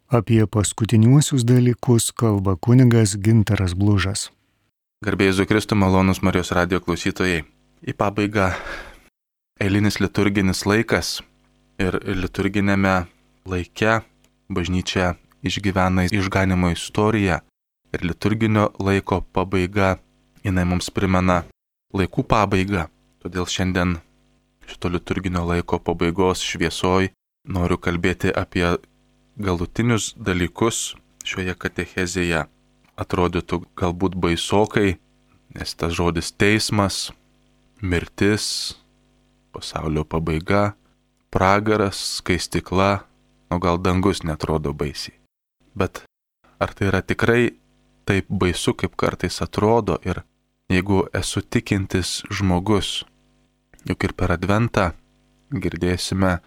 Apie paskutiniuosius dalykus kalba kunigas Gintaras Blužas. Garbė Jėzui Kristui, malonūs Marijos radijo klausytojai. Į pabaigą eilinis liturginis laikas ir liturginėme laike bažnyčia išgyvena išganimo istoriją ir liturginio laiko pabaiga, jinai mums primena laikų pabaigą. Todėl šiandien šito liturginio laiko pabaigos šviesoj noriu kalbėti apie galutinius dalykus šioje katechezėje. Atrodytų galbūt baisokai, nes tas žodis teismas, mirtis, pasaulio pabaiga, pragaras, skaistykla, gal dangus netrodo baisiai. Bet ar tai yra tikrai taip baisu, kaip kartais atrodo? Ir jeigu esu tikintis žmogus, juk ir per Adventą girdėsime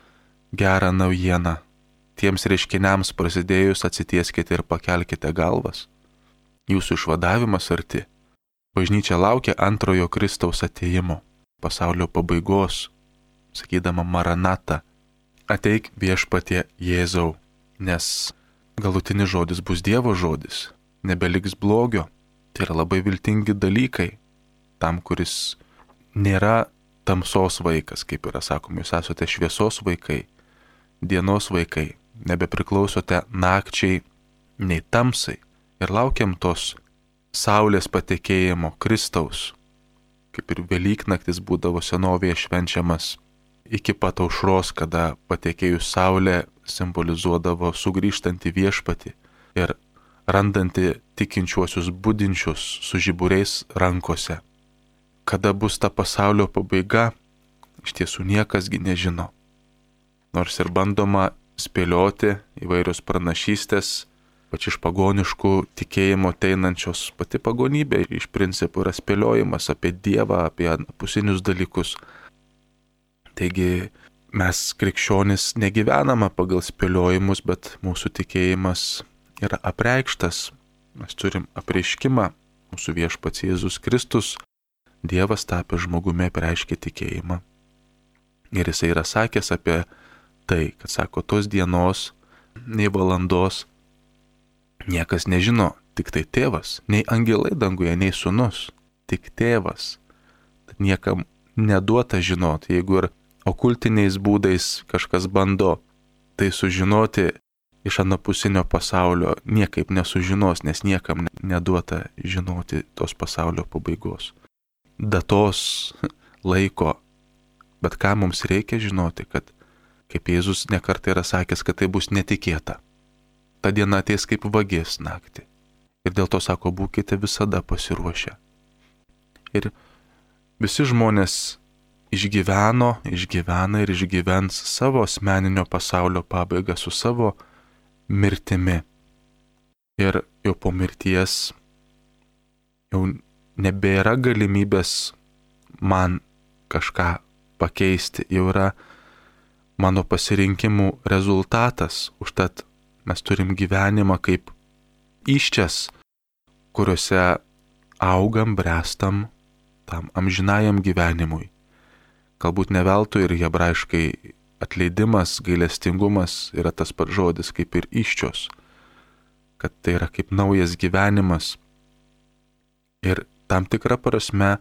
gerą naujieną. Tiems reiškiniams prasidėjus atsitieskite ir pakelkite galvas. Jūsų išvadavimas arti. Bažnyčia laukia antrojo Kristaus atėjimo, pasaulio pabaigos, sakydama Maranatą. Ateik viešpatie Jėzau, nes galutinis žodis bus Dievo žodis, nebeliks blogio. Tai yra labai viltingi dalykai tam, kuris nėra tamsos vaikas, kaip yra sakoma, jūs esate šviesos vaikai, dienos vaikai, nebepriklausote nakčiai nei tamsai ir laukiam tos saulės patekėjimo Kristaus, kaip ir Velyknaktis būdavo senovėje švenčiamas iki pat aušros, kada patekėjus saulė simbolizuodavo sugrįžtantį viešpatį ir randantį tikinčiuosius budinčius su žiburiais rankose. Kada bus ta pasaulio pabaiga, iš tiesų niekasgi nežino. Nors ir bandoma spėlioti įvairios pranašystės, pač iš pagoniškų tikėjimo ateinančios, pati pagonybė iš principų yra spėliojimas apie Dievą, apie pusinius dalykus. Taigi mes krikščionys negyvename pagal spėliojimus, bet mūsų tikėjimas yra apreikštas. Mes turim apreiškimą, mūsų viešpats Jėzus Kristus, Dievas tapęs žmogumi apreiškė tikėjimą. Ir jisai yra sakęs apie tai, kad sako, tos dienos, nei valandos, niekas nežino, tik tai tėvas, nei angelai danguje, nei sūnus, tik tėvas. Tad niekam neduota žinoti, jeigu ir okultiniais būdais kažkas bando tai sužinoti iš anapusinio pasaulio, niekaip nesužinos, nes niekam neduota žinoti tos pasaulio pabaigos. Datos, laiko, bet ką mums reikia žinoti, kad kaip Jėzus nekartą yra sakęs, kad tai bus netikėta. Ta diena ateis kaip vagis naktį. Ir dėl to sako, būkite visada pasiruošę. Ir visi žmonės išgyvena ir išgyvens savo asmeninio pasaulio pabaigą su savo mirtimi. Ir jau po mirties jau nebėra galimybės man kažką pakeisti, jau yra mano pasirinkimų rezultatas. Užtat mes turim gyvenimą kaip įsčias, kuriuose augam, brestam tam amžinajam gyvenimui. Galbūt ne veltui ir hebrajiškai atleidimas, gailestingumas yra tas pats žodis kaip ir įsčios, kad tai yra kaip naujas gyvenimas. Ir tam tikrą prasme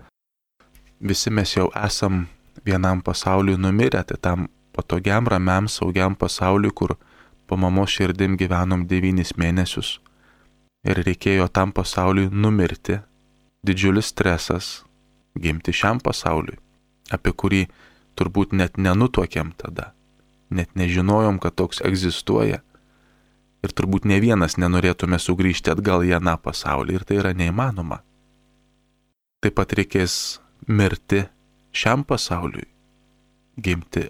visi mes jau esam vienam pasauliui numirę, tai tam patogiam, ramiam, saugiam pasauliui, kur po mamos širdim gyvenom 9 mėnesius ir reikėjo tam pasauliui numirti. Didžiulis stresas gimti šiam pasauliui, apie kurį turbūt net nenutuokėm tada, net nežinojom, kad toks egzistuoja ir turbūt ne vienas nenorėtume sugrįžti atgal į aną pasaulį ir tai yra neįmanoma. Taip pat reikės mirti šiam pasauliui, gimti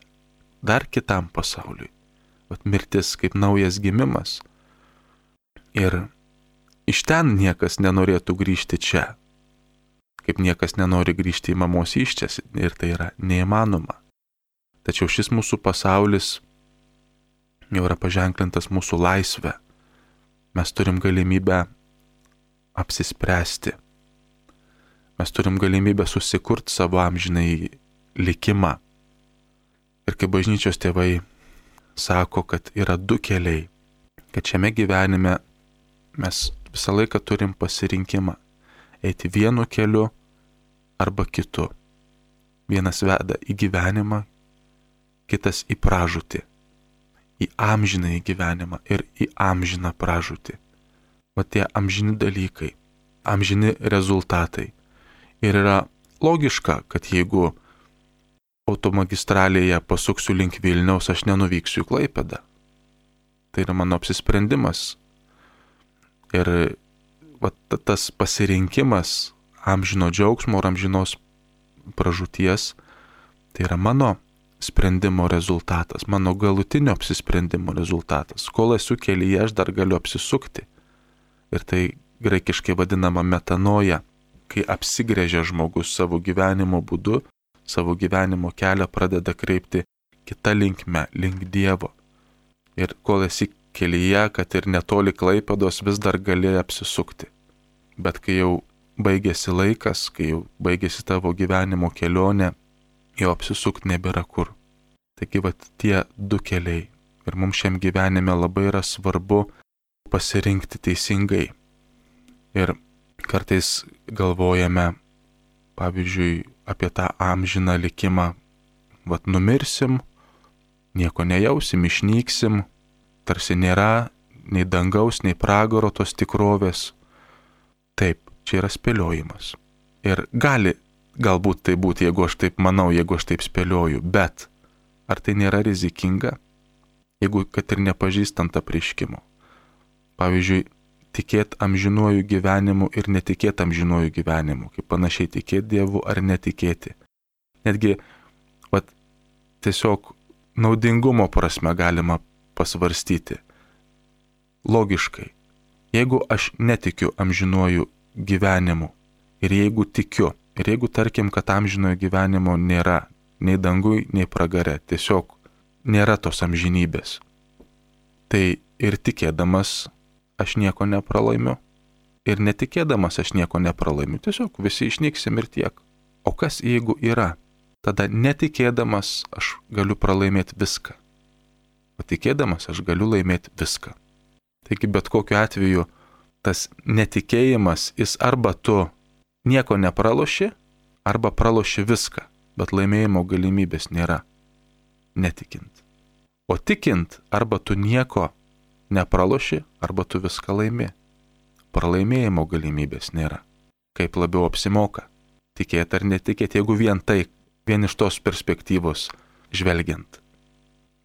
dar kitam pasauliui. Vat mirtis kaip naujas gimimas. Ir iš ten niekas nenorėtų grįžti čia. Kaip niekas nenori grįžti į mamos įsčias ir tai yra neįmanoma. Tačiau šis mūsų pasaulis jau yra paženklintas mūsų laisvę. Mes turim galimybę apsispręsti. Mes turim galimybę susikurti savo amžinai likimą. Ir kaip bažnyčios tėvai sako, kad yra 2 keliai. kad šiame gyvenime mes visą laiką turim pasirinkimą eiti vienu keliu arba kitu. Vienas veda į gyvenimą, kitas į pražūtį, į amžiną į gyvenimą ir į amžiną pražūtį. O tie amžini dalykai, amžini rezultatai. Ir yra logiška, kad jeigu automagistralėje pasuksiu link Vilniaus, aš nenuvyksiu į Klaipėdą. Tai yra mano apsisprendimas. Ir tas pasirinkimas amžino džiaugsmo ar amžinos pražūties, tai yra mano sprendimo rezultatas, mano galutinio apsisprendimo rezultatas. Kol esu kelyje, aš dar galiu apsisukti. Ir tai graikiškai vadinama metanoja, kai apsigręžia žmogus savo gyvenimo būdu, savo gyvenimo kelią pradeda kreipti kitą linkme, link Dievo. Ir kol esi kelyje, kad ir netoli Klaipėdos, vis dar gali apsisukti. Bet kai jau baigėsi laikas, kai jau baigėsi tavo gyvenimo kelionė, jau apsisukti nebėra kur. Taigi tie du keliai. Ir mums šiam gyvenime labai yra svarbu pasirinkti teisingai. Ir kartais galvojame, pavyzdžiui, apie tą amžiną likimą. Numirsim, nieko nejausim, išnyksim, tarsi nėra nei dangaus, nei pragaro tos tikrovės. Taip, čia yra spėliojimas. Ir galbūt tai būti, jeigu aš taip manau, jeigu aš taip spėlioju, bet ar tai nėra rizikinga, jeigu kad ir nepažįstant apreiškimo. Pavyzdžiui, tikėti amžinuoju gyvenimu ir netikėti amžinuoju gyvenimu, kaip panašiai tikėti Dievu ar netikėti. Netgi tiesiog naudingumo prasme galima pasvarstyti. Logiškai, jeigu aš netikiu amžinuoju gyvenimu ir jeigu tikiu, ir jeigu tarkim, kad amžinojo gyvenimo nėra nei dangui, nei pragare, tiesiog nėra tos amžinybės, tai ir tikėdamas aš nieko nepralaimiu. Ir netikėdamas aš nieko nepralaimiu. Tiesiog visi išnyksim ir tiek. O kas jeigu yra? Tada netikėdamas aš galiu pralaimėti viską. O tikėdamas aš galiu laimėti viską. Taigi bet kokiu atveju tas netikėjimas, jis arba tu nieko nepraloši, arba praloši viską. Bet laimėjimo galimybės nėra. Netikint. O tikint, arba tu nieko nepraloši, arba tu viską laimi. Pralaimėjimo galimybės nėra. Kaip labiau apsimoka? Tikėti ar netikėti, jeigu vien iš tos perspektyvos žvelgiant.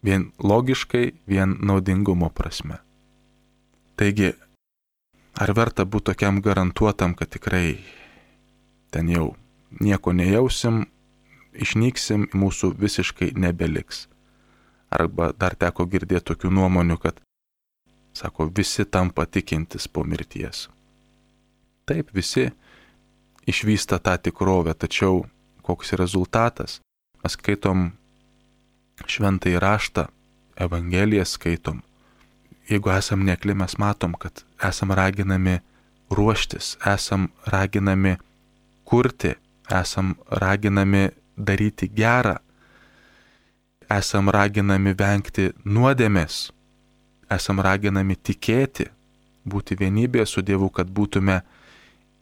Vien logiškai, vien naudingumo prasme. Taigi, ar verta būti tokiam garantuotam, kad tikrai ten jau nieko nejausim, išnyksim, mūsų visiškai nebeliks. Arba dar teko girdėti tokių nuomonių, kad sako, visi tampa tikintis po mirties. Taip, visi išvysta tą tikrovę, tačiau koks rezultatas? Mes skaitom šventąjį raštą, Evangeliją skaitom. Jeigu esam nekli, mes matom, kad esam raginami ruoštis, esam raginami kurti, esam raginami daryti gerą, esam raginami vengti nuodėmės, esam raginami tikėti, būti vienybėje su Dievu, kad būtume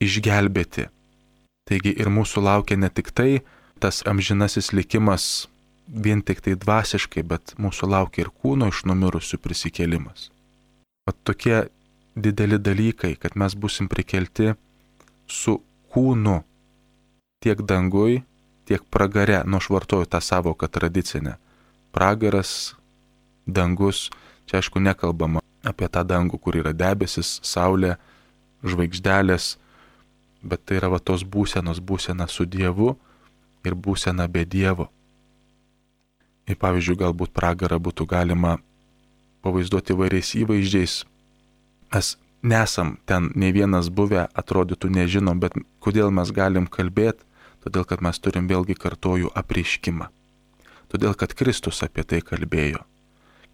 išgelbėti. Taigi ir mūsų laukia ne tik tai tas amžinasis likimas vien tik tai dvasiškai, bet mūsų laukia ir kūno iš numirusių prisikėlimas. Tokie dideli dalykai, kad mes būsim prikelti su kūnu tiek dangui, tiek pragare. Aš vartoju tą savoką tradicinę. Pragaras, dangus, čia aišku nekalbama apie tą dangų, kur yra debesis, saulė, žvaigždelės, bet tai yra tos būsena su Dievu ir būsena be Dievo. Ir pavyzdžiui, galbūt pragarą būtų galima pavaizduoti įvairiais įvaizdžiais. Mes nesam ten nei vienas buvę, atrodytų nežinom, bet kodėl mes galim kalbėti? Todėl, kad mes turim vėlgi kartoju apreiškimą. Todėl, kad Kristus apie tai kalbėjo.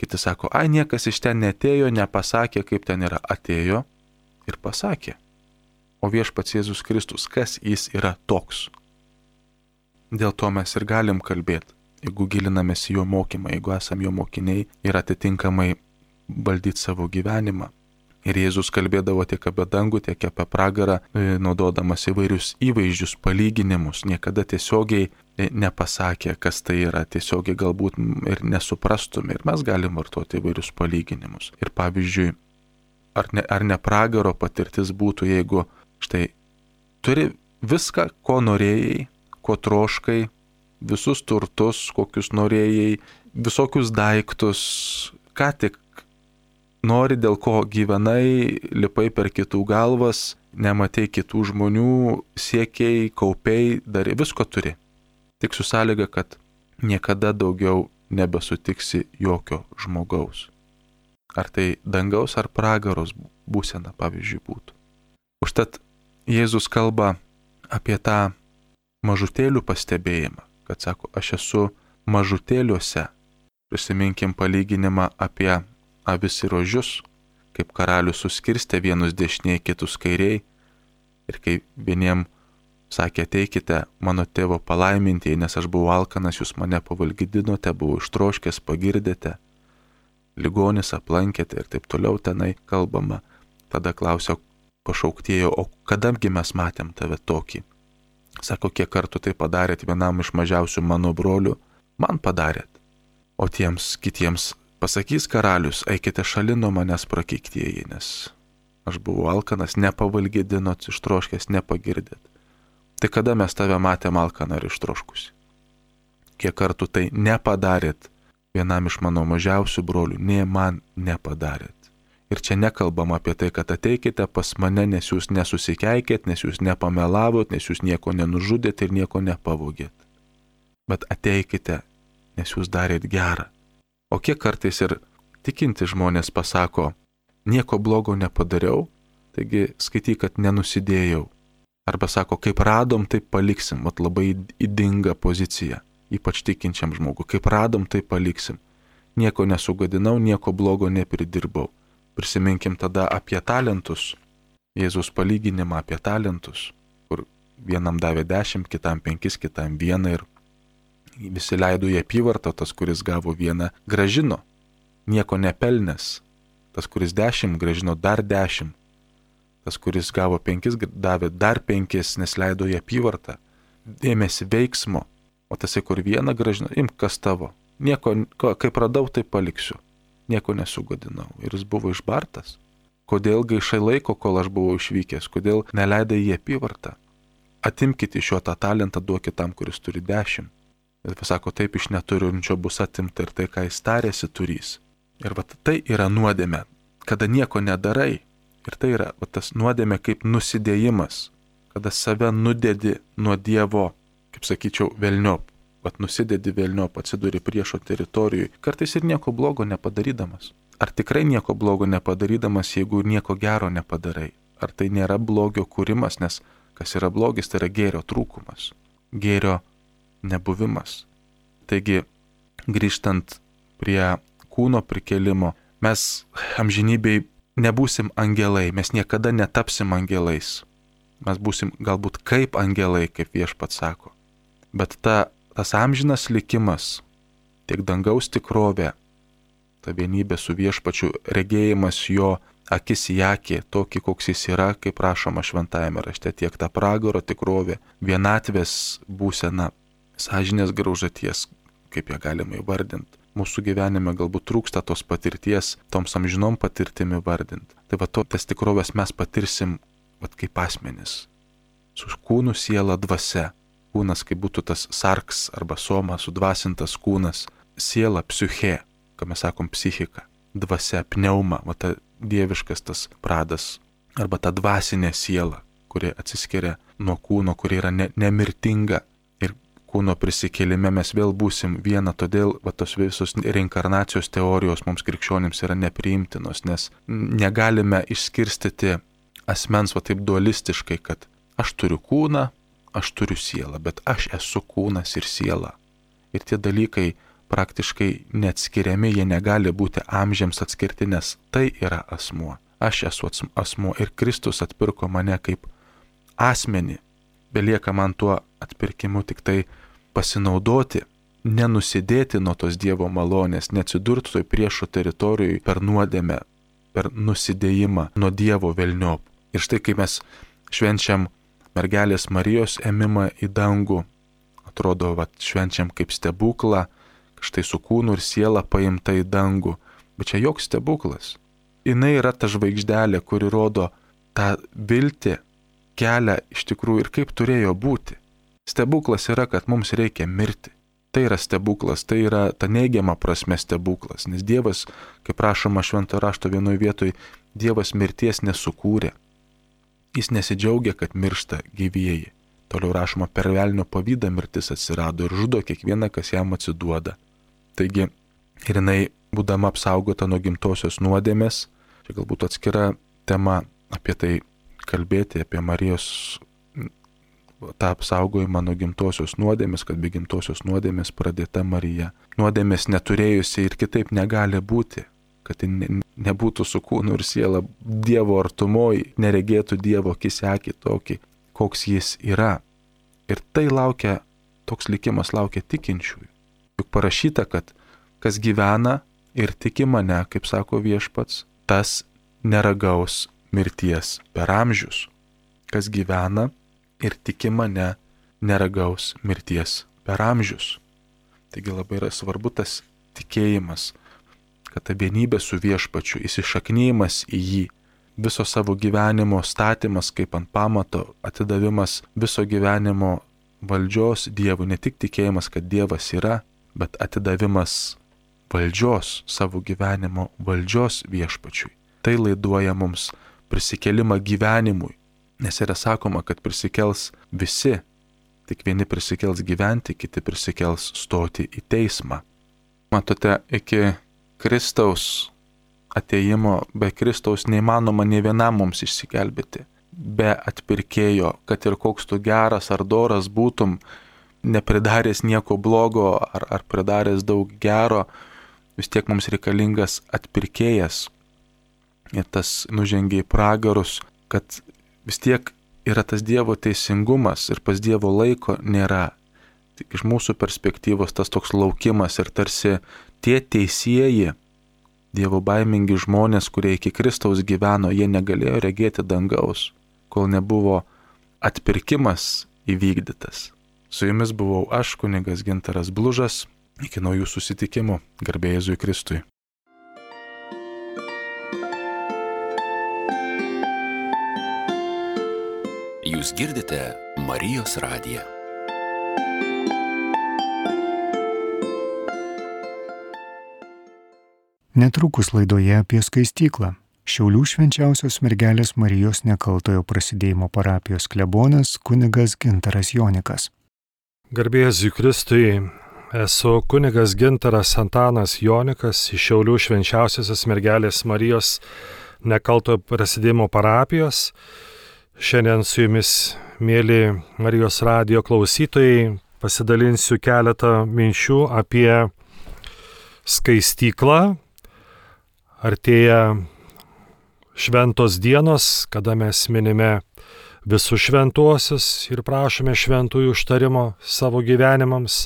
Kiti sako, niekas iš ten netėjo, nepasakė, kaip ten yra. Atėjo ir pasakė. O viešpats Jėzus Kristus, kas jis yra toks? Dėl to mes ir galim kalbėti, jeigu gilinamės į jo mokymą, jeigu esam jo mokiniai ir atitinkamai valdyti savo gyvenimą. Ir Jėzus kalbėdavo tiek apie dangų, tiek apie pragarą, naudodamas įvairius įvaizdžius, palyginimus. Niekada tiesiogiai nepasakė, kas tai yra, tiesiogiai galbūt ir nesuprastume. Ir mes galim vartoti įvairius palyginimus. Ir pavyzdžiui, ar ne pragaro patirtis būtų, jeigu štai turi viską, ko norėjai, ko troškai, visus turtus, kokius norėjai, visokius daiktus, ką tik nori, dėl ko gyvenai, lipai per kitų galvas, nematei kitų žmonių, siekiai, kaupiai, darė, visko turi. Tik su sąlyga, kad niekada daugiau nebesutiksi jokio žmogaus. Ar tai dangaus ar pragaros būsena, pavyzdžiui, būtų. Užtat Jėzus kalba apie tą mažutėlių pastebėjimą, kad sako, aš esu mažutėliuose. Prisiminkim palyginimą apie avis ir ožius, kaip karalius suskirstė vienus dešiniai, kitus kairiai. Ir kai vieniem sakė, ateikite mano tėvo palaimintieji, nes aš buvau alkanas, jūs mane pavalgydinote, buvau ištroškęs, pagirdėte, ligonis aplankėte ir taip toliau tenai kalbama. Tada klausia pašauktiejo, o kadamgi mes matėm tave tokį? Sako, kiek kartų tai padarėt vienam iš mažiausių mano brolių, man padarėt. O tiems kitiems pasakys karalius, eikite šalin nuo manęs prakeiktieji, nes aš buvau alkanas, nepavalgydinot, ištroškęs, nepagirdėt. Tai kada mes tave matėm alkaną ir ištroškusi? Kiek kartų tai nepadarėt vienam iš mano mažiausių brolių, ne man nepadarėt. Ir čia nekalbam apie tai, kad ateikite pas mane, nes jūs nesusikeikėt, nes jūs nepamelavot, nes jūs nieko nenužudėt ir nieko nepavogėt. Bet ateikite, nes jūs darėt gerą. O kiek kartais ir tikinti žmonės pasako, nieko blogo nepadariau, taigi skaityk, kad nenusidėjau. Arba sako, kaip radom, taip paliksim, mat labai ydinga pozicija, ypač tikinčiam žmogui. Kaip radom, taip paliksim. Nieko nesugadinau, nieko blogo nepridirbau. Prisiminkim tada apie talentus, Jėzus palyginimą apie talentus, kur vienam davė 10, kitam 5, kitam 1 ir visi leido į apyvartą, tas, kuris gavo 1, gražino, nieko nepelnęs, tas, kuris 10, gražino dar 10, tas, kuris gavo 5, davė dar 5, nes leido į apyvartą, ėmėsi veiksmo, o tasai, kur 1 gražino, imk kas tavo, nieko, kaip radau, tai paliksiu. Nieko nesugadinau. Ir jis buvo išbartas. Kodėl gaišai laiko, kol aš buvau išvykęs? Kodėl neleidai į apyvartą? Atimkite iš jo tą talentą, duokit tam, kuris turi 10. Ir pasako, taip iš neturinčio bus atimta ir tai, ką jis tarėsi, turys. Ir va tai yra nuodėmė, kada nieko nedarai. Ir tai yra va tas nuodėmė kaip nusidėjimas, kada save nudedi nuo Dievo, kaip sakyčiau, velniop. Vat nusidedi velniop, atsiduri priešo teritorijui, kartais ir nieko blogo nepadarydamas. Ar tikrai nieko blogo nepadarydamas, jeigu nieko gero nepadarai? Ar tai nėra blogio kūrimas, nes kas yra blogis, tai yra gėrio trūkumas, gėrio nebuvimas. Taigi, grįžtant prie kūno prikelimo, mes amžinybėj nebūsim angelai, mes niekada netapsim angelais. Mes būsim galbūt kaip angelai, kaip Viešpats sako. Bet tas amžinas likimas, tiek dangaus tikrovė, ta vienybė su Viešpačiu, regėjimas jo akis į akį, tokį, koks jis yra, kaip rašoma šventajame rašte, tiek ta pragaro tikrovė, vienatvės būsena, sąžinės graužaties, kaip ją galima įvardinti. Mūsų gyvenime galbūt trūksta tos patirties, toms amžinom patirtimi vardinti. Tai va tas tikrovės mes patirsim kaip asmenis, su kūnu, siela, dvasia. Kūnas, kaip būtų tas sarks arba soma, sudvasintas kūnas, siela, psiche, ką mes sakom psichika, dvasia, pneuma, va ta dieviškas tas pradas, arba ta dvasinė siela, kuri atsiskiria nuo kūno, kuri yra nemirtinga. Ir kūno prisikėlime mes vėl būsim viena, todėl va tos visos reinkarnacijos teorijos mums krikščionims yra nepriimtinos, nes negalime išskirstyti asmens va taip dualistiškai, kad aš turiu kūną, aš turiu sielą, bet aš esu kūnas ir siela. Ir tie dalykai praktiškai neatskiriami, jie negali būti amžiams atskirti, nes tai yra asmuo. Aš esu asmuo ir Kristus atpirko mane kaip asmenį. Belieka man tuo atpirkimu tik tai pasinaudoti nenusidėti nuo tos Dievo malonės, neatsidurti toj priešo teritorijoje per nuodėmę, per nusidėjimą nuo Dievo velniop. Ir štai kai mes švenčiam mergelės Marijos ėmimą į dangų, atrodo, švenčiam kaip stebuklą, štai su kūnu ir siela paimta į dangų, bet čia joks stebuklas. Jinai yra ta žvaigždelė, kuri rodo tą viltį, kelią iš tikrųjų ir kaip turėjo būti. Stebuklas yra, kad mums reikia mirti. Tai yra stebuklas, tai yra ta neigiama prasme stebuklas, nes Dievas, kaip rašoma Šventojo rašto vienoje vietoje, Dievas mirties nesukūrė. Jis nesidžiaugia, kad miršta gyvieji. Toliau rašoma, per velnio pavydą mirtis atsirado ir žudo kiekvieną, kas jam atsiduoda. Taigi, ir jinai, būdama apsaugota nuo gimtosios nuodėmės, čia galbūt atskira tema apie tai kalbėti, apie Marijos tą apsaugojimą nuo gimtosios nuodėmės, kad be gimtosios nuodėmės pradėta Marija. Nuodėmės neturėjusi ir kitaip negali būti, kad nebūtų su kūnu ir siela Dievo artumoji, neregėtų Dievo akis akį tokį, koks jis yra. Ir tai laukia, toks likimas laukia tikinčiųjų. Juk parašyta, kad kas gyvena ir tiki mane, kaip sako Viešpats, tas neragaus mirties per amžius. Kas gyvena ir tiki mane, neragaus mirties per amžius. Taigi labai yra svarbu tas tikėjimas, kad ta vienybė su Viešpačiu, įsišaknyjimas į jį, viso savo gyvenimo statymas kaip ant pamato, atidavimas viso gyvenimo valdžios Dievui, ne tik tikėjimas, kad Dievas yra, bet atidavimas valdžios, savo gyvenimo valdžios Viešpačiui. Tai laiduoja mums prisikėlimą gyvenimui. Nes yra sakoma, kad prisikels visi, tik vieni prisikels gyventi, kiti prisikels stoti į teismą. Matote, iki Kristaus atėjimo, be Kristaus neįmanoma nei vienam mums išsigelbėti. Be atpirkėjo, kad ir koks tu geras ar doras būtum, nepridaręs nieko blogo ar pridaręs daug gero, vis tiek mums reikalingas atpirkėjas. Ir tas nužengia į pragarus, kad vis tiek yra tas Dievo teisingumas ir pas Dievo laiko nėra. Tik iš mūsų perspektyvos tas toks laukimas ir tarsi tie teisieji, Dievo baimingi žmonės, kurie iki Kristaus gyveno, jie negalėjo regėti dangaus, kol nebuvo atpirkimas įvykdytas. Su jumis buvau aš, kunigas Gintaras Blužas. Iki naujų susitikimų. Garbė Jėzui Kristui. Jūs girdite Marijos radiją. Netrukus laidoje apie skaistyklą. Šiaulių švenčiausios mergelės Marijos Nekaltojo Prasidėjimo parapijos klebonas kunigas Gintaras Jonikas. Garbė Jėzui Kristui, esu kunigas Gintaras Antanas Jonikas iš Šiaulių švenčiausiosios mergelės Marijos Nekaltojo Prasidėjimo parapijos. Šiandien su jumis, mėly Marijos radijo klausytojai, pasidalinsiu keletą minčių apie skaistyklą. Artėja šventos dienos, kada mes minime visus šventuosius ir prašome šventųjų užtarimo savo gyvenimams.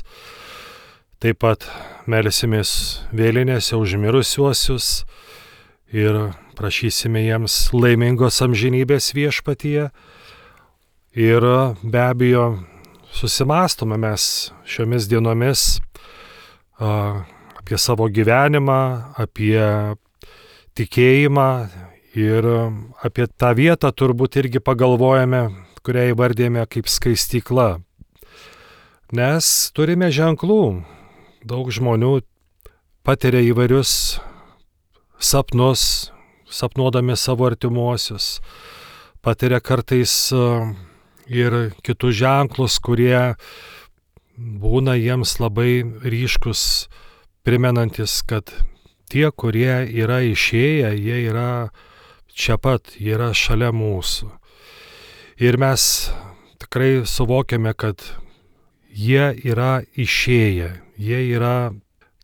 Taip pat melsimės vėlinėse už mirusiuosius ir prašysime jiems laimingos amžinybės viešpatyje. Ir be abejo susimąstome mes šiomis dienomis apie savo gyvenimą, apie tikėjimą ir apie tą vietą turbūt irgi pagalvojame, kurią įvardėjame kaip skaistykla. Nes turime ženklų. Daug žmonių patiria įvairius sapnus, sapnuodami savo artimuosius. Patiria kartais ir kitus ženklus, kurie būna jiems labai ryškus, primenantis, kad tie, kurie yra išėję, jie yra čia pat, jie yra šalia mūsų. Ir mes tikrai suvokiame, kad jie yra išėję, jie yra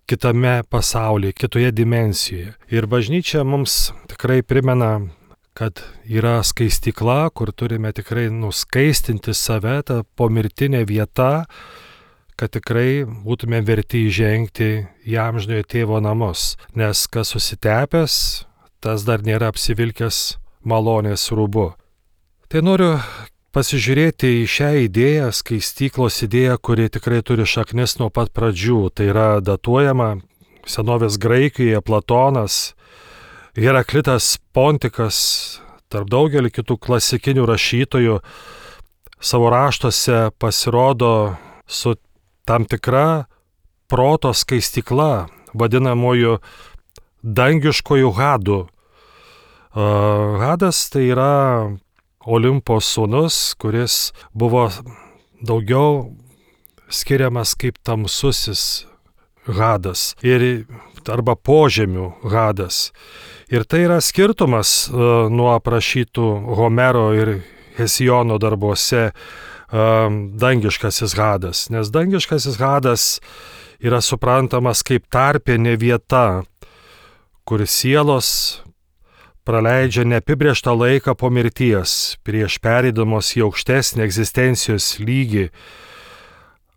kitame pasaulyje, kitoje dimensijoje. Ir bažnyčia mums tikrai primena, kad yra skaistykla, kur turime tikrai nuskaistinti save, ta pomirtinė vieta, kad tikrai būtume verti įžengti į amžinojo tėvo namus, nes kas susitepęs, tas dar nėra apsivilkęs malonės rūbu. Tai noriu pasižiūrėti į šią idėją, skaistyklos idėją, kuri tikrai turi šaknis nuo pat pradžių. Tai yra datuojama senovės Graikijoje Platonas, Heraklitas Pontikas, tarp daugelį kitų klasikinių rašytojų savo raštuose pasirodo su tam tikra proto skaistykla, vadinamoju dangiškojų hadų. Hadas tai yra Olimpo sūnus, kuris buvo daugiau skiriamas kaip tamsusis hadas arba požemių hadas. Ir tai yra skirtumas nuo aprašytų Homero ir Hesijono darbuose dangiškasis hadas. Nes dangiškasis hadas yra suprantamas kaip tarpinė vieta, kur sielos praleidžia neapibrėžtą laiką po mirties, prieš pereidamos į aukštesnį egzistencijos lygį,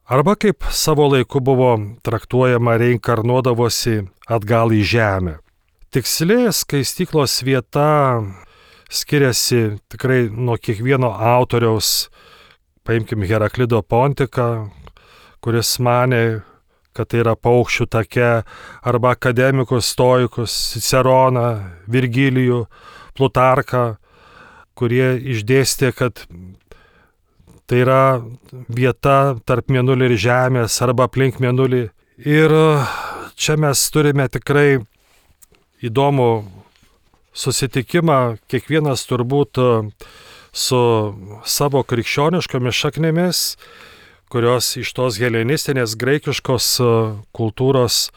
arba kaip savo laiku buvo traktuojama reinkarnuodavosi atgal į žemę. Tiksli skaistyklos vieta skiriasi tikrai nuo kiekvieno autoriaus. Paimkim Heraklido Pontiką, kuris manė, kad tai yra paukščių take, arba akademikus, stoikus, Ciceroną, Virgilijų, Plutarką, kurie išdėstė, kad tai yra vieta tarp mėnulio ir žemės arba aplink mėnulį. Ir čia mes turime tikrai įdomų susitikimą, kiekvienas turbūt su savo krikščioniškomis šaknimis, kurios iš tos helenistinės graikiškos kultūros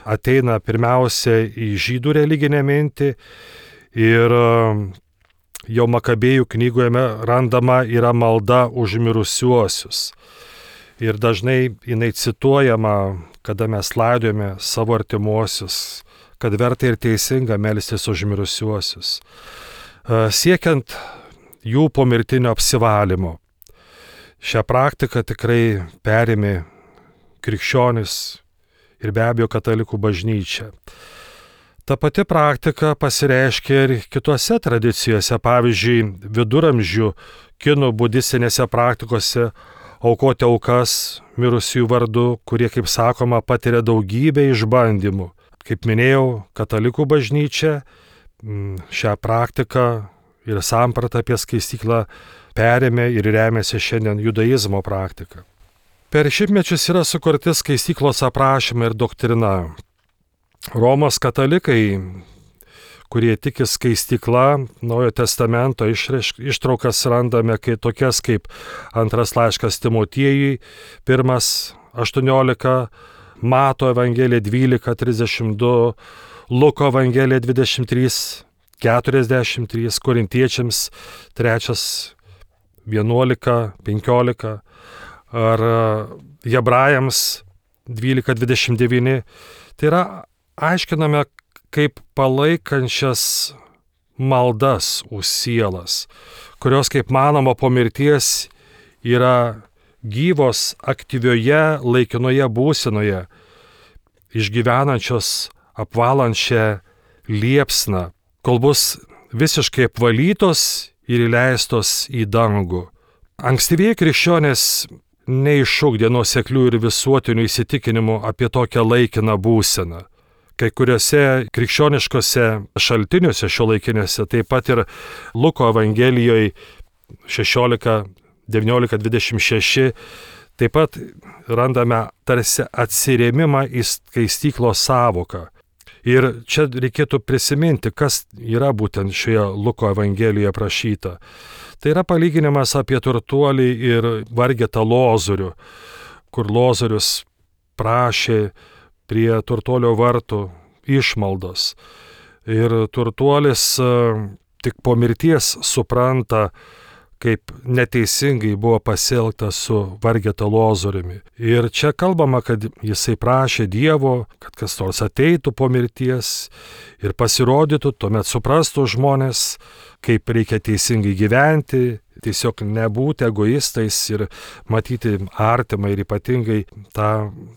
ateina pirmiausia į žydų religinę mintį. Ir jau Makabėjų knygoje randama yra malda už mirusiuosius. Ir dažnai jinai cituojama, kada mes laidojame savo artimuosius, kad verta ir teisinga melstis už mirusiuosius, siekiant jų pomirtinio apsivalymo. Šią praktiką tikrai perėmė krikščionis ir be abejo katalikų bažnyčia. Ta pati praktika pasireiškia ir kitose tradicijose, pavyzdžiui, viduramžių kinų budistinėse praktikose aukoti aukas mirusiųjų vardu, kurie, kaip sakoma, patiria daugybę išbandymų. Kaip minėjau, katalikų bažnyčia šią praktiką ir sampratą apie skaistyklą perėmė ir remiasi šiandien judaizmo praktika. Per šimtmečius yra sukurti skaistyklos aprašymai ir doktrina. Romos katalikai, kurie tiki skaistykla, Naujojo testamento ištraukas randame tokias kaip antras laiškas Timotiejui, 1:18, Mato Evangelija 12:32, Luko Evangelija 23:43, Korintiečiams 3:11-15 ar Hebrajams 12:29. Tai yra aiškiname kaip palaikančias maldas už sielas, kurios, kaip manoma, po mirties yra gyvos aktyvioje laikinoje būsenoje, išgyvenančios apvalančią liepsną, kol bus visiškai apvalytos ir įleistos į dangų. Ankstyvieji krikščionys neišugdė nuoseklių ir visuotinių įsitikinimų apie tokią laikiną būseną. Kai kuriuose krikščioniškose šaltiniuose šiuolaikiniuose, taip pat ir Luko Evangelijoje 16:19-26, taip pat randame tarsi atsirėmimą į skaistyklos sąvoką. Ir čia reikėtų prisiminti, kas yra būtent šioje Luko Evangelijoje aprašyta. Tai yra palyginimas apie turtuolį ir vargetą Lozorių, kur Lozorius prašė prie turtuolio vartų išmaldos. Ir turtuolis tik po mirties supranta, kaip neteisingai buvo pasielgta su vargeta Lozoriumi. Ir čia kalbama, kad jisai prašė Dievo, kad kas nors ateitų po mirties ir pasirodytų, tuomet suprastų žmonės, kaip reikia teisingai gyventi, tiesiog nebūti egoistais ir matyti artimą ir ypatingai tą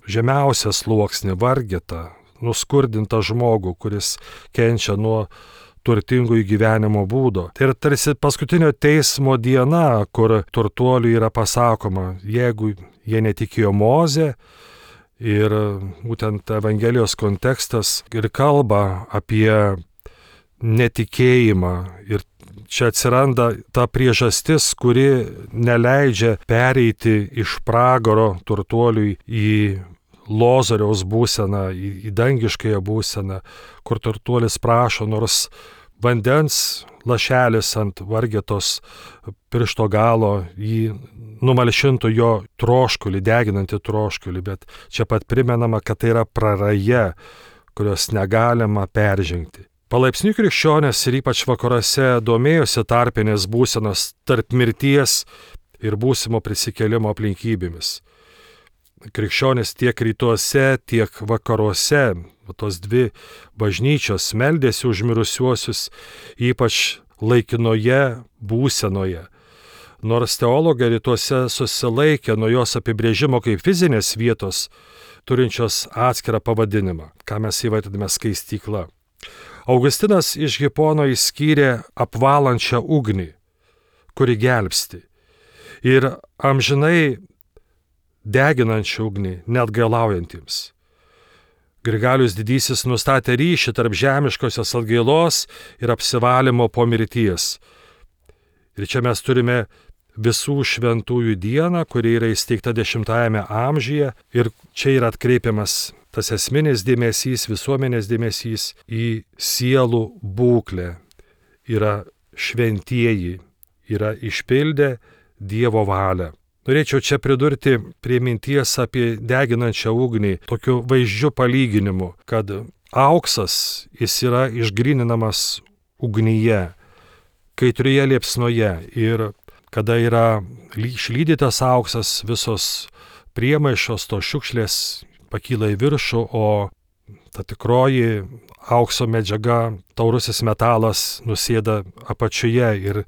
žemiausią sluoksnį, vargetą, nuskurdintą žmogų, kuris kenčia nuo turtingų gyvenimo būdo. Tai yra tarsi paskutinio teismo diena, kur turtuoliui yra pasakoma, jeigu jie netikėjo Moze, ir būtent Evangelijos kontekstas ir kalba apie netikėjimą. Ir čia atsiranda ta priežastis, kuri neleidžia pereiti iš pragaro turtuoliui į Lozoriaus būseną, į dangiškąją būseną, kur turtuolis prašo, nors vandens lašelis ant vargetos piršto galo jį numalšintų jo troškulį, deginantį troškulį, bet čia pat primenama, kad tai yra praraja, kurios negalima peržengti. Palaipsniui krikščionės ir ypač vakaruose domėjosi tarpinės būsenos tarp mirties ir būsimo prisikėlimo aplinkybėmis. Krikščionys tiek rytuose, tiek vakaruose, tos dvi bažnyčios meldėsi už mirusiuosius, ypač laikinoje būsenoje. Nors teologai rytuose susilaikė nuo jos apibrėžimo kaip fizinės vietos, turinčios atskirą pavadinimą, ką mes įvardiname skaistykla. Augustinas iš Hipono išskyrė apvalančią ugnį, kuri gelbsti, ir amžinai deginančią ugnį neatgailaujantiems. Grigalius Didysis nustatė ryšį tarp žemiškosios atgailos ir apsivalymo po mirties. Ir čia mes turime visų šventųjų dieną, kuri yra įsteigta 10-ame amžiuje, ir čia yra atkreipiamas tas esminis dėmesys, visuomenės dėmesys į sielų būklę. Yra šventieji, yra išpildę Dievo valią. Norėčiau čia pridurti prie minties apie deginančią ugnį tokiu vaizdžiu palyginimu, kad auksas jis yra išgryninamas ugnyje, kaitrioje liepsnoje, ir kada yra išlydytas auksas, visos priemaišos, tos šiukšlės pakyla į viršų, o ta tikroji aukso medžiaga, taurusis metalas nusėda apačioje ir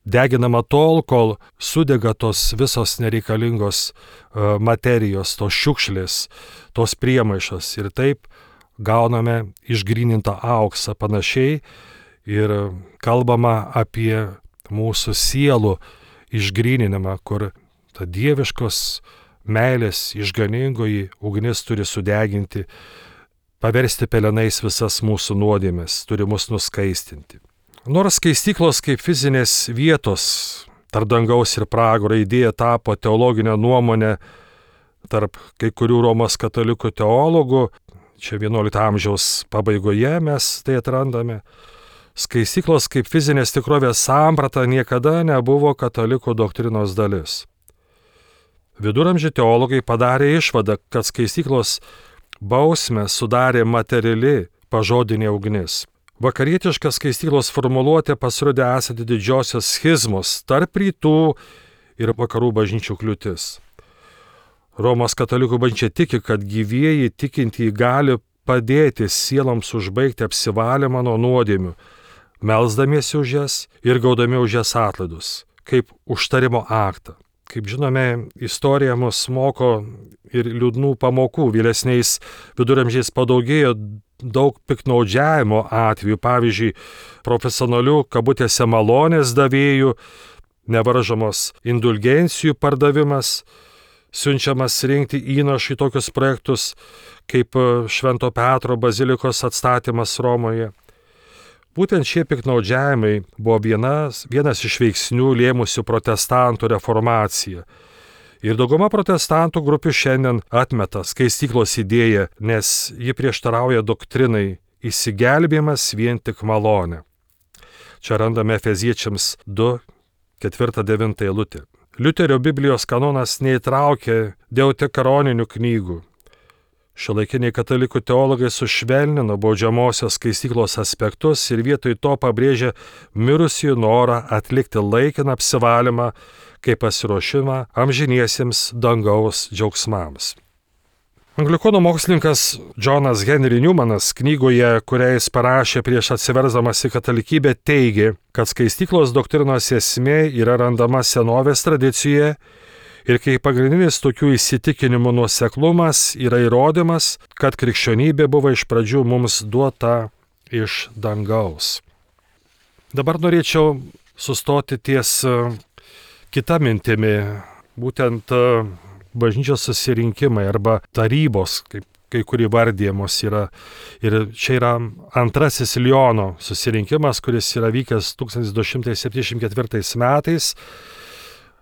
deginama tol, kol sudega tos visos nereikalingos materijos, tos šiukšlės, tos priemaišos, ir taip gauname išgrynintą auksą. Panašiai ir kalbama apie mūsų sielų išgryninimą, kur ta dieviškos meilės išganingoji ugnis turi sudeginti, paversti pelenais visas mūsų nuodėmes, turi mus nuskaistinti. Nors skaistyklos kaip fizinės vietos tarp dangaus ir pragaro idėja tapo teologinę nuomonę tarp kai kurių Romos katalikų teologų, čia 11 amžiaus pabaigoje mes tai atrandame, skaistyklos kaip fizinės tikrovės samprata niekada nebuvo katalikų doktrinos dalis. Viduramžių teologai padarė išvadą, kad skaistyklos bausmę sudarė materiali pažodinė ugnis. Vakarietiška skaistyklos formuluotė pasirodė esanti didžiosios schizmos tarp rytų ir vakarų bažnyčių kliūtis. Romos katalikų bažnyčia tiki, kad gyvieji tikintieji gali padėti sieloms užbaigti apsivalymą nuo nuodėmių, melsdamiesi už jas ir gaudami už jas atlaidus, kaip užtarimo aktą. Kaip žinome, istorija mus moko ir liūdnų pamokų. Vėlesniais viduramžiais padaugėjo daug piktnaudžiavimo atvejų, pavyzdžiui, profesionalių kabutėse malonės davėjų, nevaržomos indulgencijų pardavimas, siunčiamas rinkti įnašų į tokius projektus kaip Švento Petro bazilikos atstatymas Romoje. Būtent šie piktnaudžiavimai buvo vienas iš veiksnių lėmusių protestantų reformaciją. Ir dauguma protestantų grupių šiandien atmeta skaistyklos idėją, nes ji prieštarauja doktrinai išsigelbėjimas vien tik malonė. Čia randame Efeziečiams 2, 4-9 eilutė. Liuterio Biblijos kanonas neįtraukė deutekanoninių knygų. Šiuolaikiniai katalikų teologai sušvelnino baudžiamosios skaistyklos aspektus ir vietoj to pabrėžė mirusiųjų norą atlikti laikiną apsivalymą kaip pasiruošimą amžiniesiems dangaus džiaugsmams. Anglikonų mokslininkas Johnas Henry Newmanas knygoje, kurią jis parašė prieš atsiversdamas į katalikybę, teigė, kad skaistyklos doktrinos esmė yra randama senovės tradicijoje ir kai pagrindinis tokių įsitikinimų nuoseklumas yra įrodymas, kad krikščionybė buvo iš pradžių mums duota iš dangaus. Dabar norėčiau sustoti ties kita mintimi, būtent bažnyčios susirinkimai arba tarybos, kaip kai kurie vardėjamos yra. Ir čia yra antrasis Liono susirinkimas, kuris yra vykęs 1274 metais.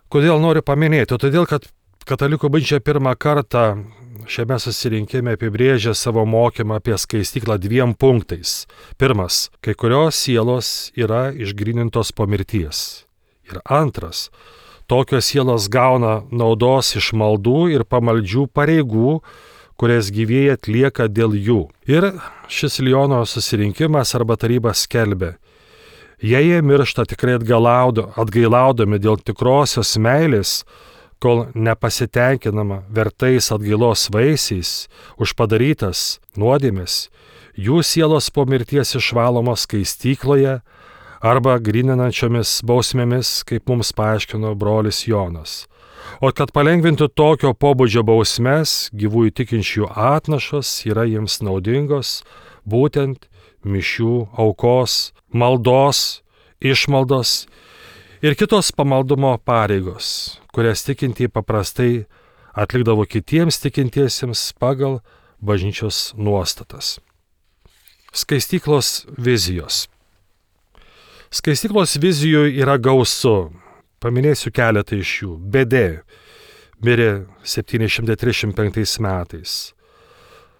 Kodėl noriu paminėti? Todėl, kad Katalikų bažnyčia pirmą kartą šiame susirinkime apibrėžė savo mokymą apie skaistyklą 2 punktais. Pirmas, kai kurios sielos yra išgrynintos po mirties. Ir antras, tokios sielos gauna naudos iš maldų ir pamaldžių pareigų, kurias gyvieji atlieka dėl jų. Ir šis Liono susirinkimas arba taryba skelbė, jei jie miršta tikrai atgailaudami dėl tikrosios meilės, kol nepasitenkinama vertais atgailos vaisiais už padarytas nuodėmes, jų sielos po mirties išvalomos skaistykloje arba gryninančiomis bausmėmis, kaip mums paaiškino brolis Jonas. O kad palengvintų tokio pobūdžio bausmes, gyvųjų tikinčių atnašos yra jiems naudingos, būtent mišių aukos, maldos, išmaldos ir kitos pamaldumo pareigos, kurias tikintieji paprastai atlikdavo kitiems tikintiesiems pagal bažnyčios nuostatas. Skaistyklos vizijos. Skaistyklos vizijų yra gausu. Paminėsiu keletą iš jų. Bedė mirė 735 metais.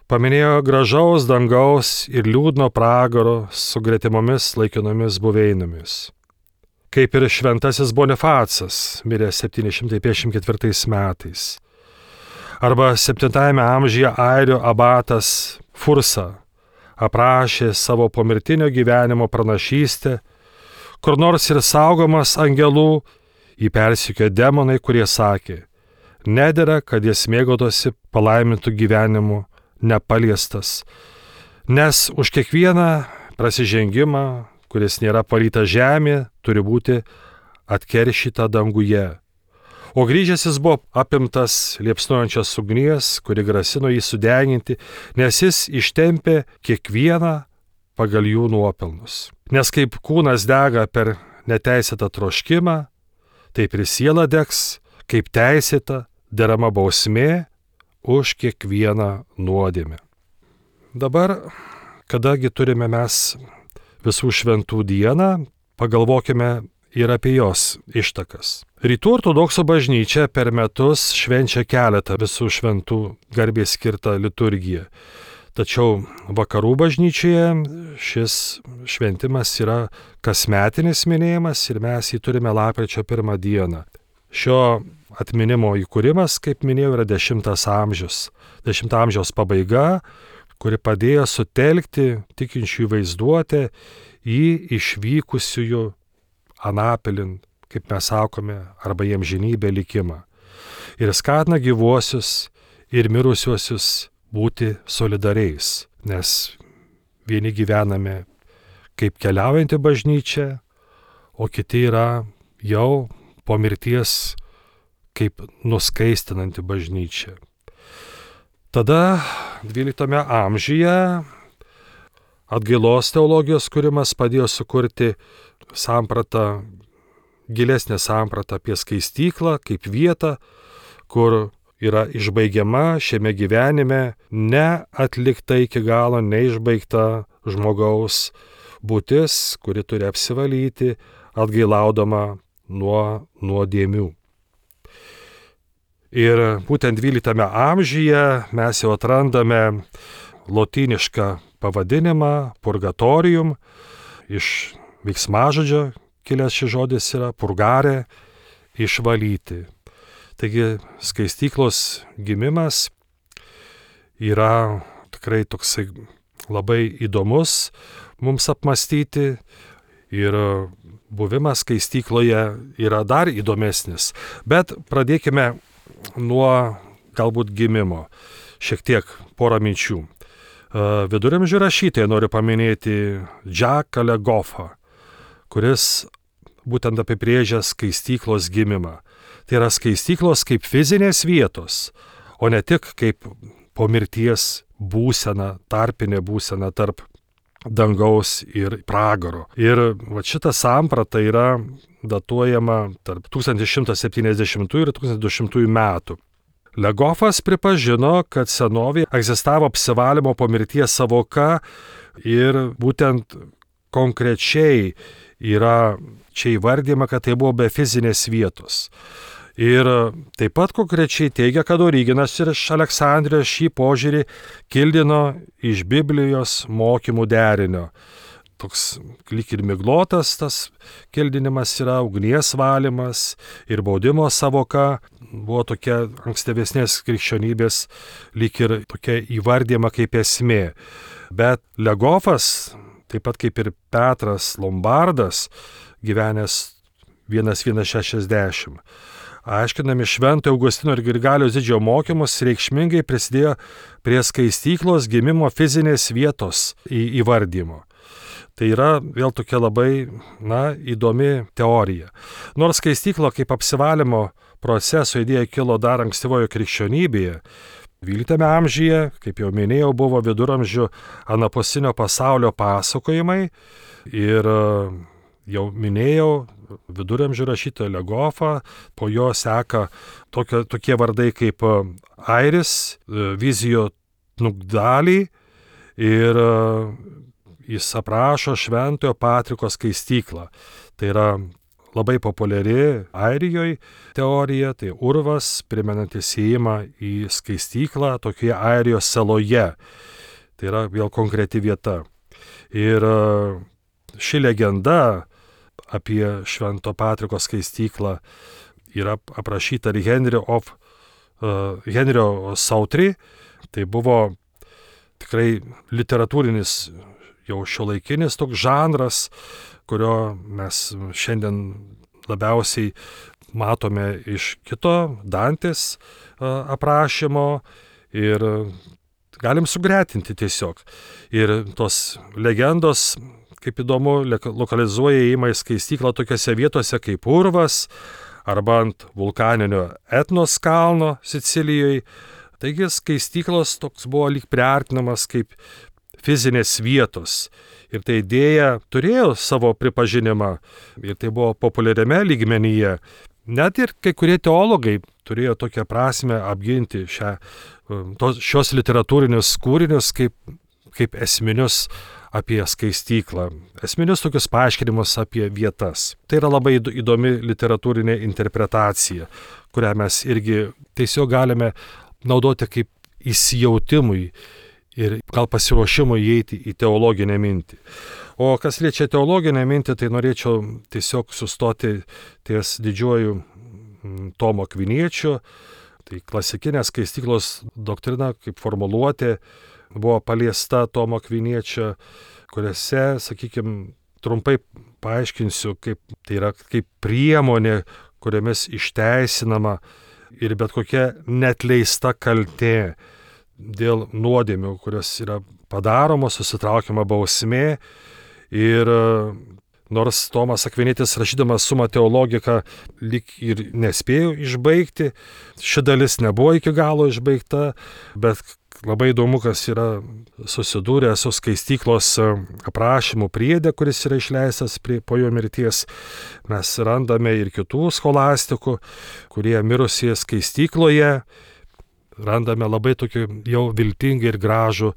Paminėjo gražaus dangaus ir liūdno pragaro su gretimomis laikinomis buveinomis. Kaip ir šventasis Bonifacas mirė 754 metais. Arba 7 amžiuje airių abatas Fursa aprašė savo pomirtinio gyvenimo pranašystę, kur nors ir saugomas angelų, jį persekiojo demonai, kurie sakė, nedera, kad jis mėgaudosi palaimintų gyvenimu nepaliestas, nes už kiekvieną prasižengimą, kuris nėra palytas žemė, turi būti atkeršyta danguje. O grįžęs jis buvo apimtas liepsnojančios ugnies, kuri grasino jį sudeginti, nes jis ištempė kiekvieną pagal jų nuopelnus. Nes kaip kūnas dega per neteisėtą troškimą, taip ir siela degs, kaip teisėta derama bausmė už kiekvieną nuodėmę. Dabar, kadangi turime mes visų šventų dieną, pagalvokime ir apie jos ištakas. Rytų ortodoksų bažnyčia per metus švenčia keletą visų šventų garbei skirtą liturgiją. Tačiau vakarų bažnyčioje šis šventimas yra kasmetinis minėjimas ir mes jį turime lapkričio 1 dieną. Šio atminimo įkūrimas, kaip minėjau, yra 10 amžius. 10 amžiaus pabaiga, kuri padėjo sutelkti tikinčiųjų vaizduotę į išvykusiųjų anapilin, kaip mes sakome, arba į amžinybę likimą. Ir skatina gyvuosius ir mirusiuosius būti solidariais, nes vieni gyvename kaip keliaujanti bažnyčia, o kiti yra jau po mirties kaip nuskaistinanti bažnyčia. Tada 12 amžiuje atgailos teologijos kūrimas padėjo sukurti sampratą, gilesnę sampratą apie skaistyklą kaip vietą, kur yra išbaigiama šiame gyvenime neatlikta iki galo, neišbaigta žmogaus būtis, kuri turi apsivalyti, atgailaudama nuo nuodėmių. Ir būtent 12 amžiuje mes jau atrandame lotynišką pavadinimą purgatorium, iš veiksmažodžio kilęs šis žodis yra purgare, išvalyti. Taigi skaistyklos gimimas yra tikrai toksai labai įdomus mums apmastyti ir buvimas skaistykloje yra dar įdomesnis. Bet pradėkime nuo galbūt gimimo. šiek tiek porą minčių. Viduramžių rašytojai noriu paminėti Jacques Le Goffą, kuris būtent apibrėžia skaistyklos gimimą. Tai yra skaistyklos kaip fizinės vietos, o ne tik kaip po mirties būsena, tarpinė būsena tarp dangaus ir pragaro. Ir šita samprata yra datuojama tarp 1170 ir 1200 metų. Le Goffas pripažino, kad senovėje egzistavo apsivalymo po mirties savoka ir būtent konkrečiai yra čia įvardyma, kad tai buvo be fizinės vietos. Ir taip pat konkrečiai teigia, kad Origenas ir iš Aleksandrijos šį požiūrį kildino iš Biblijos mokymų derinio. Toks lyg ir miglotas tas kildinimas yra, ugnies valymas ir baudimo savoka buvo tokia ankstyvesnės krikščionybės lyg ir tokia įvardyma kaip esmė. Bet Le Goffas, taip pat kaip ir Petras Lombardas, gyvenęs 1160, aiškinami Švento Augustino ir Grigaliaus Didžiojo mokymus, reikšmingai prisidėjo prie skaistyklos gimimo fizinės vietos įvardymo. Tai yra vėl tokia labai įdomi teorija. Nors skaistykla kaip apsivalymo proceso idėja kilo dar ankstyvojo krikščionybėje, 12 amžiuje, kaip jau minėjau, buvo viduramžių anapusinio pasaulio pasakojimai ir jau minėjau viduramžių rašytoją Le Goffą, po jo seka tokie vardai kaip Airis, Vizijo Tnugdalį ir jis aprašo Šventojo Patriko skaistyklą. Tai yra labai populiari Airijoje teorija, tai urvas, primenantis įėjimą į skaistyklą tokioje Airijos saloje. Tai yra vėl konkreti vieta. Ir ši legenda apie Švento Patriko skaistyklą yra aprašyta ir Henrio Sautry. Tai buvo tikrai literatūrinis jau šiuolaikinis toks žanras, kurio mes šiandien labiausiai matome iš kito Dantės aprašymo ir galim sugretinti tiesiog. Ir tos legendos, kaip įdomu, lokalizuoja įėjimą į skaistyklą tokiose vietose kaip urvas arba ant vulkaninio Etnos kalno Sicilijoje. Taigi skaistyklos toks buvo lyg priartinamas kaip fizinės vietos. Ir ta idėja turėjo savo pripažinimą ir tai buvo populiariame lygmenyje. Net ir kai kurie teologai turėjo tokią prasme apginti šios literatūrinius kūrinius kaip esminius apie skaistyklą, esminius tokius paaiškinimus apie vietas. Tai yra labai įdomi literatūrinė interpretacija, kurią mes irgi tiesiog galime naudoti kaip įsijautimui ir gal pasiruošimui įeiti į teologinę mintį. O kas liečia teologinę mintį, tai norėčiau tiesiog sustoti ties didžiuoju Tomo Akviniečio. Tai klasikinė skaistyklos doktrina kaip formuluotė buvo paliesta Tomo Akviniečio, kuriuose, sakykime, trumpai paaiškinsiu, kaip tai yra kaip priemonė, kuriomis išteisinama ir bet kokia neatleista kaltė dėl nuodėmių, kurios yra padaromos, susitraukiama bausmė. Ir nors Tomas Akvinietis rašydamas Summa Theologica lyg ir nespėjo išbaigti, ši dalis nebuvo iki galo išbaigta, bet labai įdomu, kas yra susidūrę su skaistyklos aprašymų priede, kuris yra išleistas po jo mirties. Mes randame ir kitų scholastikų, kurie mirusieji skaistykloje, randame labai tokį jau viltingą ir gražų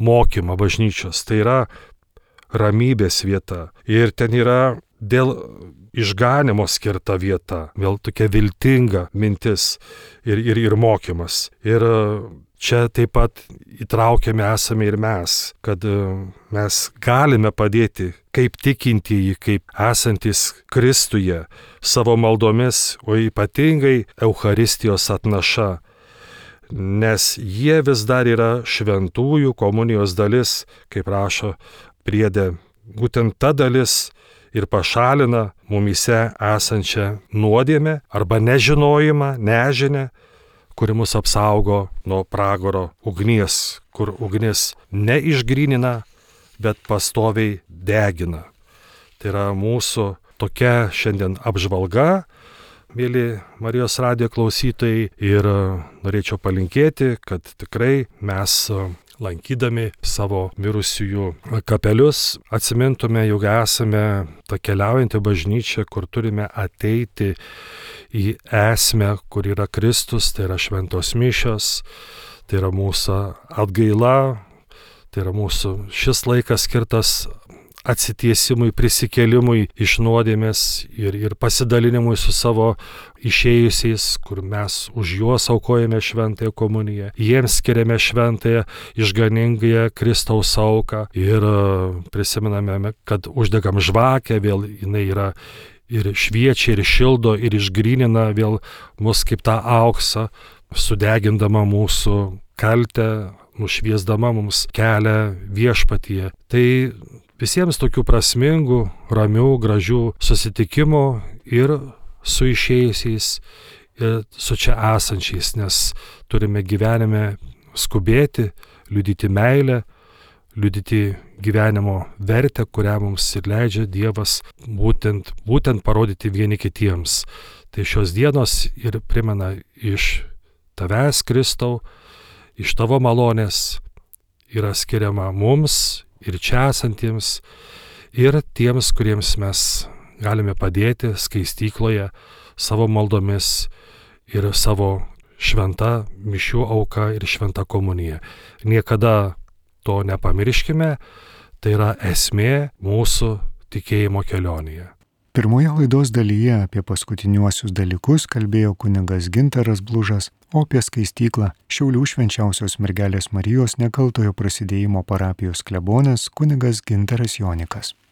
mokymą bažnyčios. Tai yra ramybės vieta. Ir ten yra dėl išganimo skirta vieta. Vėl tokia viltinga mintis ir mokymas. Ir čia taip pat įtraukiami esame ir mes, kad mes galime padėti kaip tikintieji, kaip esantis Kristuje savo maldomis, o ypatingai Eucharistijos atnaša. Nes jie vis dar yra šventųjų komunijos dalis, kaip rašo priede. Būtent ta dalis ir pašalina mumyse esančią nuodėmę arba nežinojimą, nežinę, kuri mus apsaugo nuo pragaro ugnies, kur ugnis neišgrynina, bet pastoviai degina. Tai yra mūsų tokia šiandien apžvalga, mėly Marijos radijo klausytojai, ir norėčiau palinkėti, kad tikrai mes lankydami savo mirusiųjų kapelius atsimintume, jog esame ta keliaujanti bažnyčia, kur turime ateiti į esmę, kur yra Kristus, tai yra šventos mišios, tai yra mūsų atgaila, tai yra mūsų šis laikas skirtas atsitiesimui, prisikėlimui iš nuodėmės ir pasidalinimui su savo išėjusiais, kur mes už juos aukojame šventąją komuniją, jiems skiriame šventąją išganingąją Kristaus auką ir prisimename, kad uždegam žvakę, vėl jinai yra ir šviečia, ir šildo, ir išgrynina vėl mus kaip tą auksą, sudegindama mūsų kaltę, nušviesdama mums kelią viešpatyje. Tai visiems tokių prasmingų, ramių, gražių susitikimų ir su išėjusiais, ir su čia esančiais, nes turime gyvenime skubėti, liudyti meilę, liudyti gyvenimo vertę, kurią mums ir leidžia Dievas būtent parodyti vieni kitiems. Tai šios dienos ir primena iš tavęs, Kristau, iš tavo malonės yra skiriama mums ir čia esantiems, ir tiems, kuriems mes galime padėti skaistykloje savo maldomis ir savo šventa mišių auka ir šventa komunija. Niekada to nepamirškime, tai yra esmė mūsų tikėjimo kelionėje. Pirmoje laidos dalyje apie paskutiniuosius dalykus kalbėjo kunigas Gintaras Blužas, o apie skaistyklą Šiaulių švenčiausios mergelės Marijos nekaltojo prasidėjimo parapijos klebonas kunigas Gintaras Jonikas.